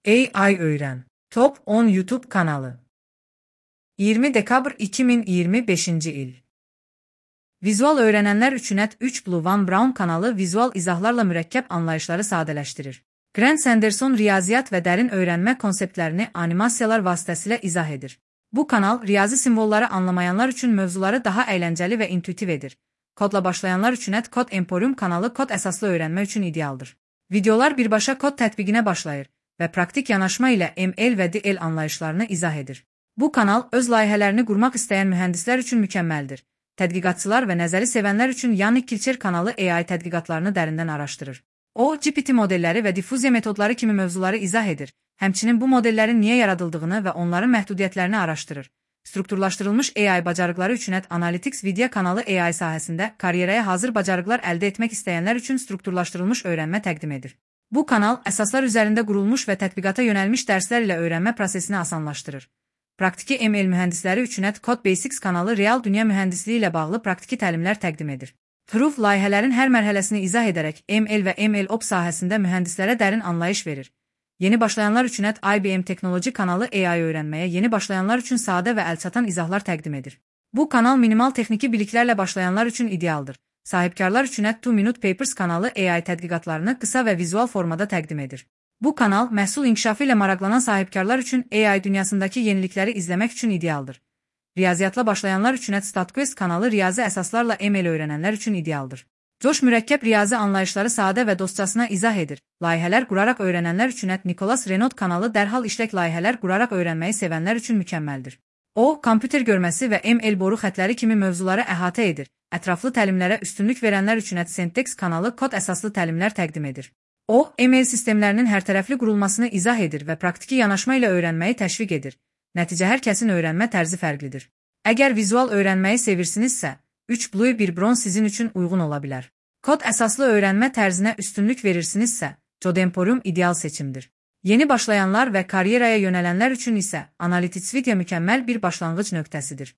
AI Öğren. Top 10 YouTube kanalı. 20 dekabr 2025 il. Vizual öğrenenler üçün net 3 Blue Van Brown kanalı vizual izahlarla mürəkkəb anlayışları sadələşdirir. Grant Sanderson riyaziyyat və dərin öyrənmə konseptlərini animasiyalar vasitəsilə izah edir. Bu kanal riyazi simvolları anlamayanlar üçün mövzuları daha əyləncəli və intuitiv edir. Kodla başlayanlar üçün Kod Emporium kanalı kod əsaslı öyrənmə üçün idealdır. Videolar birbaşa kod tətbiqinə başlayır və praktik yanaşma ilə ML və DL anlayışlarını izah edir. Bu kanal öz layihələrini qurmaq istəyən mühəndislər üçün mükəmməldir. Tədqiqatçılar və nəzəri sevənlər üçün Yannick Kilcher kanalı AI tədqiqatlarını dərindən araşdırır. O, GPT modelləri və difuziya metodları kimi mövzuları izah edir. Həmçinin bu modellərin niyə yaradıldığını və onların məhdudiyyətlərini araşdırır. Strukturlaşdırılmış AI bacarıqları üçün Analytics Video kanalı AI sahəsində karyeraya hazır bacarıqlar əldə etmək istəyənlər üçün strukturlaşdırılmış öyrənmə təqdim edir. Bu kanal əsaslar üzərində qurulmuş və tətbiqata yönəlmiş dərslər ilə öyrənmə prosesini asanlaşdırır. Praktiki ML mühəndisləri üçün Code Basics kanalı real dünya mühəndisliyi ilə bağlı praktiki təlimlər təqdim edir. Proof layihələrin hər mərhələsini izah edərək ML və MLOps sahəsində mühəndislərə dərin anlayış verir. Yeni başlayanlar üçün IBM Teknoloji kanalı AI öyrənməyə yeni başlayanlar üçün sadə və əlçatan izahlar təqdim edir. Bu kanal minimal texniki biliklərlə başlayanlar üçün idealdır. Sahibkarlar üçün 2 Minute Papers kanalı AI tədqiqatlarını qısa və vizual formada təqdim edir. Bu kanal məhsul inkişafı ilə maraqlanan sahibkarlar üçün AI dünyasındakı yenilikləri izləmək üçün idealdır. Riyaziyyatla başlayanlar üçün StatQuest kanalı riyazi əsaslarla ML öyrənənlər üçün idealdır. Josh mürəkkəb riyazi anlayışları sadə və dostcasına izah edir. Layihələr quraraq öyrənənlər üçün Nicolas Renaud kanalı dərhal işlək layihələr quraraq öyrənməyi sevənlər üçün mükəmməldir. O, kompüter görməsi və ML boru xətləri kimi mövzuları əhatə edir. Ətraflı təlimlərə üstünlük verənlər üçün Syntax kanalı kod əsaslı təlimlər təqdim edir. O, ML sistemlərinin hərtərəfli qurulmasını izah edir və praktiki yanaşma ilə öyrənməyi təşviq edir. Nəticə hər kəsin öyrənmə tərzi fərqlidir. Əgər vizual öyrənməyi sevirsinizsə, 3 Blue 1 Bronze sizin üçün uyğun ola bilər. Kod əsaslı öyrənmə tərzinə üstünlük verirsinizsə, Code Emporium ideal seçimdir. Yeni başlayanlar və karyeraya yönələnlər üçün isə Analytics Video mükəmməl bir başlanğıc nöqtəsidir.